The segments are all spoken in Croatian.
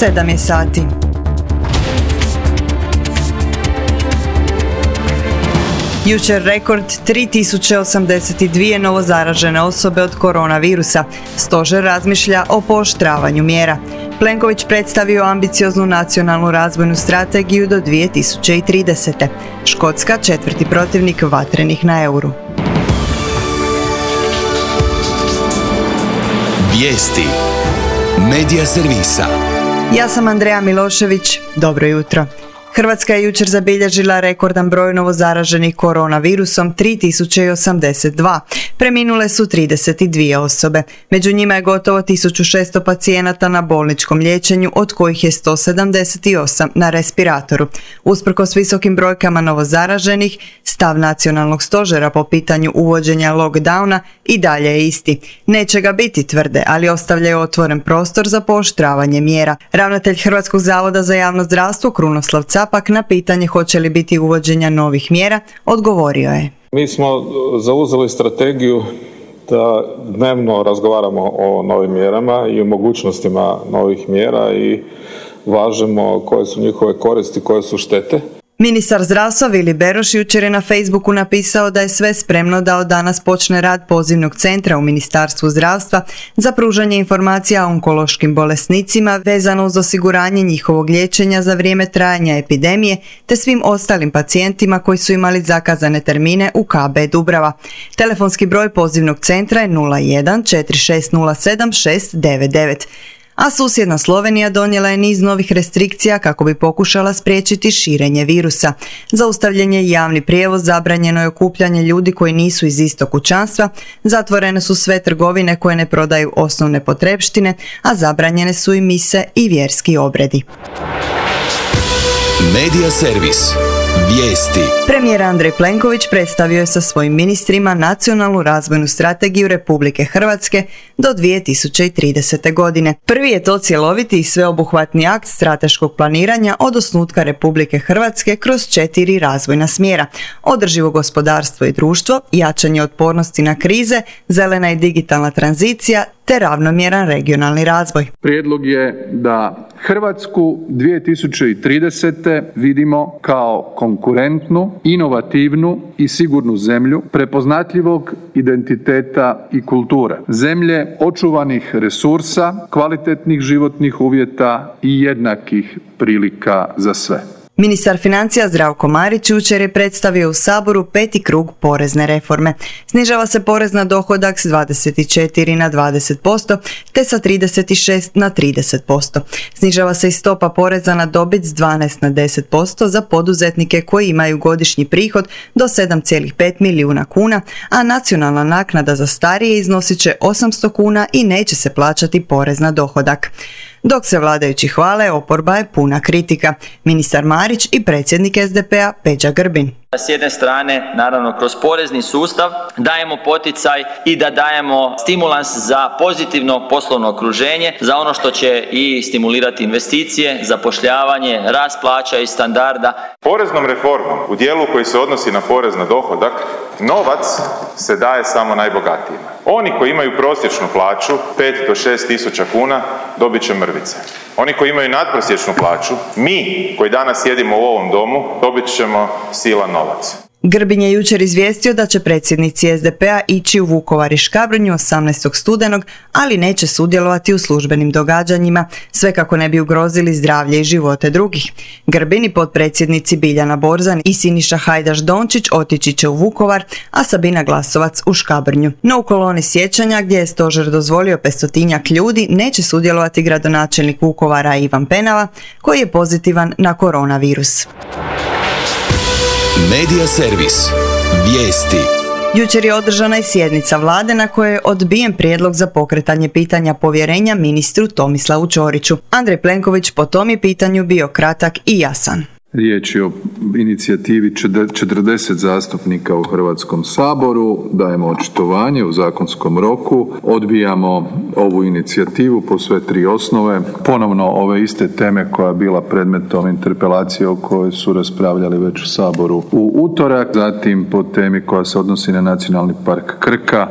7 je sati. Jučer rekord 3082 novozaražene osobe od koronavirusa. Stožer razmišlja o pooštravanju mjera. Plenković predstavio ambicioznu nacionalnu razvojnu strategiju do 2030. Škotska četvrti protivnik vatrenih na euru. Vijesti Medija servisa. Ja sam Andreja Milošević. Dobro jutro. Hrvatska je jučer zabilježila rekordan broj novozaraženih koronavirusom 3082. Preminule su 32 osobe. Među njima je gotovo 1600 pacijenata na bolničkom liječenju, od kojih je 178 na respiratoru. Usprkos visokim brojkama novozaraženih, stav nacionalnog stožera po pitanju uvođenja lockdowna i dalje je isti. Neće ga biti, tvrde, ali ostavljaju otvoren prostor za pooštravanje mjera. Ravnatelj Hrvatskog zavoda za javno zdravstvo Krunoslav Capak na pitanje hoće li biti uvođenja novih mjera odgovorio je. Mi smo zauzeli strategiju da dnevno razgovaramo o novim mjerama i o mogućnostima novih mjera i važemo koje su njihove koristi, koje su štete. Ministar zdravstva Vili Beroš jučer je na Facebooku napisao da je sve spremno da od danas počne rad pozivnog centra u Ministarstvu zdravstva za pružanje informacija o onkološkim bolesnicima vezano uz osiguranje njihovog liječenja za vrijeme trajanja epidemije te svim ostalim pacijentima koji su imali zakazane termine u KB Dubrava. Telefonski broj pozivnog centra je 01 4607 699. A susjedna Slovenija donijela je niz novih restrikcija kako bi pokušala spriječiti širenje virusa. Zaustavljen je javni prijevoz, zabranjeno je okupljanje ljudi koji nisu iz istog kućanstva, zatvorene su sve trgovine koje ne prodaju osnovne potrepštine, a zabranjene su i mise i vjerski obredi. Medija servis. Vijesti. Premijer Andrej Plenković predstavio je sa svojim ministrima nacionalnu razvojnu strategiju Republike Hrvatske do 2030. godine. Prvi je to cjeloviti i sveobuhvatni akt strateškog planiranja od osnutka Republike Hrvatske kroz 4 razvojna smjera: održivo gospodarstvo i društvo, jačanje otpornosti na krize, zelena i digitalna tranzicija te ravnomjeran regionalni razvoj. Prijedlog je da Hrvatsku 2030. vidimo kao konkurentnu, inovativnu i sigurnu zemlju prepoznatljivog identiteta i kulture. Zemlje očuvanih resursa, kvalitetnih životnih uvjeta i jednakih prilika za sve. Ministar financija Zdravko Marić jučer je predstavio u Saboru 5. krug porezne reforme. Snižava se porez na dohodak s 24 na 20%, te sa 36 na 30%. Snižava se i stopa poreza na dobit s 12 na 10% za poduzetnike koji imaju godišnji prihod do 7,5 milijuna kuna, a nacionalna naknada za starije iznosit će 800 kuna i neće se plaćati porez na dohodak. Dok se vladajući hvale, oporba je puna kritika. Ministar Marić i predsjednik SDP-a Peđa Grbin. S jedne strane, naravno, kroz porezni sustav dajemo poticaj i da dajemo stimulans za pozitivno poslovno okruženje, za ono što će i stimulirati investicije, zapošljavanje, rast plaća i standarda. Poreznom reformom u dijelu koji se odnosi na porez na dohodak, novac se daje samo najbogatijima. Oni koji imaju prosječnu plaću 5 do 6 tisuća kuna dobit će mrvice. Oni koji imaju nadprosječnu plaću, mi koji danas sjedimo u ovom domu, dobit ćemo silan novac. Grbin je jučer izvijestio da će predsjednici SDP-a ići u Vukovar i Škabrnju 18. studenog, ali neće sudjelovati u službenim događanjima, sve kako ne bi ugrozili zdravlje i živote drugih. Grbin i potpredsjednici Biljana Borzan i Siniša Hajdaš Dončić otići će u Vukovar, a Sabina Glasovac u Škabrnju. No u koloni sjećanja, gdje je stožer dozvolio 500 ljudi, neće sudjelovati gradonačelnik Vukovara Ivan Penava, koji je pozitivan na koronavirus. Medija servis. Vijesti. Jučer je održana i sjednica vlade na kojoj je odbijen prijedlog za pokretanje pitanja povjerenja ministru Tomislavu Ćoriću. Andrej Plenković po tom je pitanju bio kratak i jasan. Riječ je o inicijativi 40 zastupnika u Hrvatskom saboru, dajemo očitovanje u zakonskom roku, odbijamo ovu inicijativu po sve 3 osnove. Ponovno ove iste teme koja je bila predmetom interpelacije o kojoj su raspravljali već u Saboru u utorak, zatim po temi koja se odnosi na Nacionalni park Krka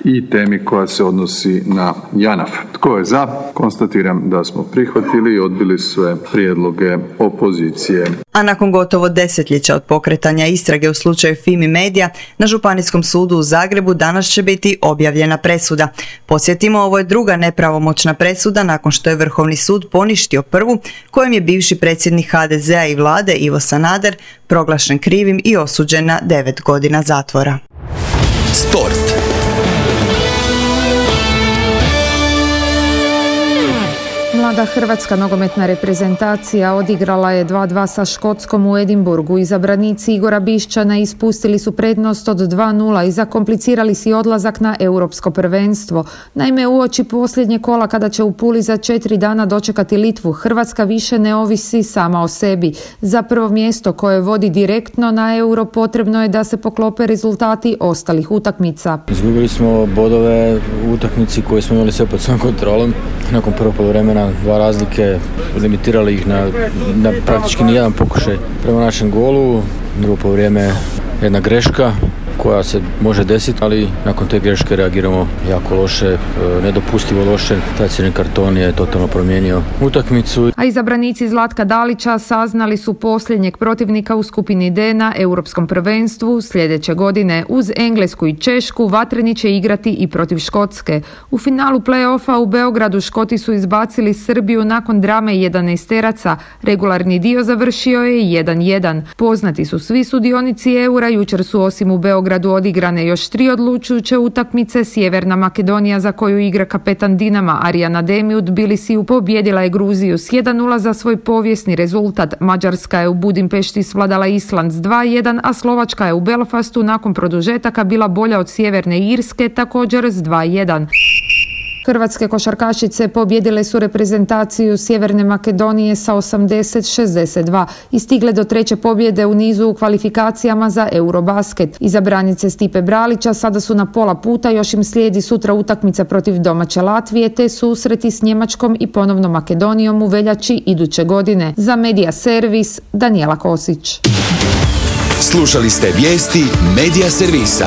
i temi koja se odnosi na JANAF. Tko je za? Konstatiram da smo prihvatili i odbili sve prijedloge opozicije. A nakon gotovo desetljeća od pokretanja istrage u slučaju Fimi Media, na Županijskom sudu u Zagrebu danas će biti objavljena presuda. Podsjetimo, ovo je druga nepravomoćna presuda nakon što je Vrhovni sud poništio prvu, kojom je bivši predsjednik HDZ-a i vlade Ivo Sanader proglašen krivim i osuđen na 9 godina zatvora. Sport. Mlada hrvatska nogometna reprezentacija odigrala je 2:2 sa Škotskom u Edinburgu. Izabranici Igora Bišćana ispustili su prednost od 2:0 i zakomplicirali si odlazak na europsko prvenstvo. Naime, uoči posljednje kola kada će u Puli za 4 dana dočekati Litvu, Hrvatska više ne ovisi sama o sebi. Za prvo mjesto koje vodi direktno na euro potrebno je da se poklope rezultati ostalih utakmica. Izgubili smo bodove u utakmici koje smo imali sve pod svojom kontrolom. Nakon prvog poluvremena 2 razlike, limitirali ih na praktički nijedan pokušaj prema našem golu. Drugo poluvrijeme jedna greška koja se može desiti, ali nakon te greške reagiramo jako loše, nedopustivo loše. Taj crveni karton je totalno promijenio utakmicu. A izabranici Zlatka Dalića saznali su posljednjeg protivnika u skupini D na europskom prvenstvu. Sljedeće godine uz Englesku i Češku Vatreni će igrati i protiv Škotske. U finalu play-offa u Beogradu Škoti su izbacili Srbiju nakon drame 11-teraca. Regularni dio završio je 1:1. Poznati su svi sudionici eura, jučer su osim u Beogradu odigrane još 3 odlučujuće utakmice. Sjeverna Makedonija, za koju igra kapetan Dinama Arjan Ademi u Tbilisiju, pobijedila je Gruziju s 1:0 za svoj povijesni rezultat. Mađarska je u Budimpešti svladala Island s 2:1, a Slovačka je u Belfastu nakon produžetaka bila bolja od Sjeverne Irske, također s 2:1. Hrvatske košarkašice pobijedile su reprezentaciju Sjeverne Makedonije sa 80-62 i stigle do 3. pobjede u nizu u kvalifikacijama za Eurobasket. Izabranice Stipe Bralića sada su na pola puta, još im slijedi sutra utakmica protiv domaće Latvije te susreti s Njemačkom i ponovno Makedonijom u veljači iduće godine. Za Medija Servis, Danijela Kosić. Slušali ste vijesti Medija Servisa.